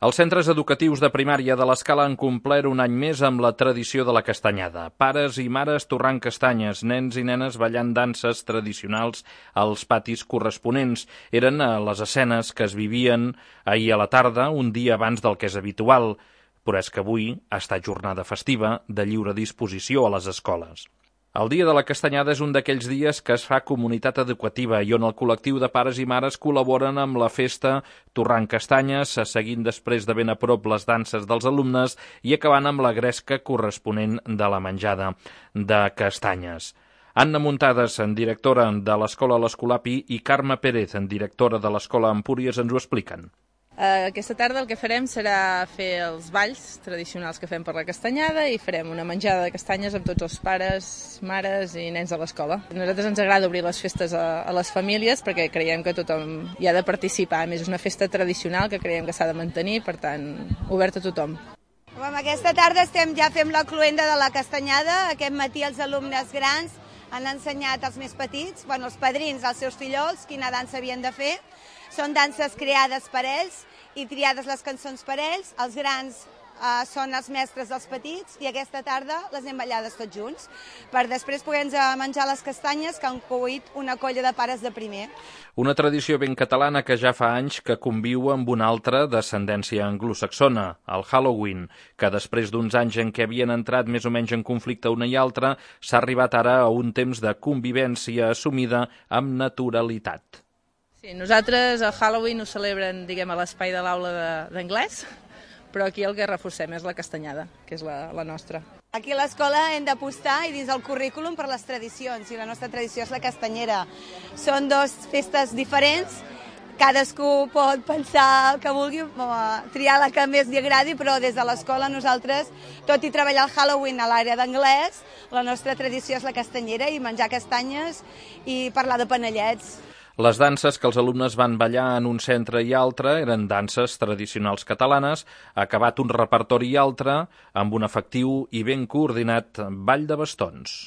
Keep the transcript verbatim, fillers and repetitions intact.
Els centres educatius de primària de l'Escala han complert un any més amb la tradició de la castanyada. Pares i mares torrant castanyes, nens i nenes ballant danses tradicionals als patis corresponents. Eren les escenes que es vivien ahir a la tarda, un dia abans del que és habitual, però és que avui ha estat jornada festiva de lliure disposició a les escoles. El Dia de la Castanyada és un d'aquells dies que es fa comunitat educativa i on el col·lectiu de pares i mares col·laboren amb la festa torrant castanyes, seguint després de ben a prop les danses dels alumnes i acabant amb la gresca corresponent de la menjada de castanyes. Anna Muntades, directora de l'Escola L'Escolapi, i Carme Pérez, directora de l'Escola Empúries, ens ho expliquen. Aquesta tarda el que farem serà fer els balls tradicionals que fem per la castanyada i farem una menjada de castanyes amb tots els pares, mares i nens de l'escola. A nosaltres ens agrada obrir les festes a, a les famílies perquè creiem que tothom hi ha de participar. A més, és una festa tradicional que creiem que s'ha de mantenir, per tant, obert a tothom. Amb aquesta tarda estem ja fent la cloenda de la castanyada. Aquest matí els alumnes grans han ensenyat als més petits, bueno, els padrins, als seus fillols, quina dansa havien de fer. Són danses creades per ells i triades les cançons per ells. Els grans eh, són els mestres dels petits i aquesta tarda les hem ballades tots junts per després poder menjar les castanyes que han cuit una colla de pares de primer. Una tradició ben catalana que ja fa anys que conviu amb una altra d'ascendència anglosaxona, el Halloween, que després d'uns anys en què havien entrat més o menys en conflicte una i altra, s'ha arribat ara a un temps de convivència assumida amb naturalitat. Sí, nosaltres el Halloween ho celebren, diguem, a l'espai de l'aula d'anglès, però aquí el que reforcem és la castanyada, que és la, la nostra. Aquí a l'escola hem d'apostar i dins el currículum per les tradicions, i la nostra tradició és la castanyera. Són dues festes diferents, cadascú pot pensar que vulgui, triar la que més li agradi, però des de l'escola nosaltres, tot i treballar el Halloween a l'àrea d'anglès, la nostra tradició és la castanyera i menjar castanyes i parlar de panellets. Les danses que els alumnes van ballar en un centre i altre eren danses tradicionals catalanes, acabat un repertori i altre amb un efectiu i ben coordinat ball de bastons.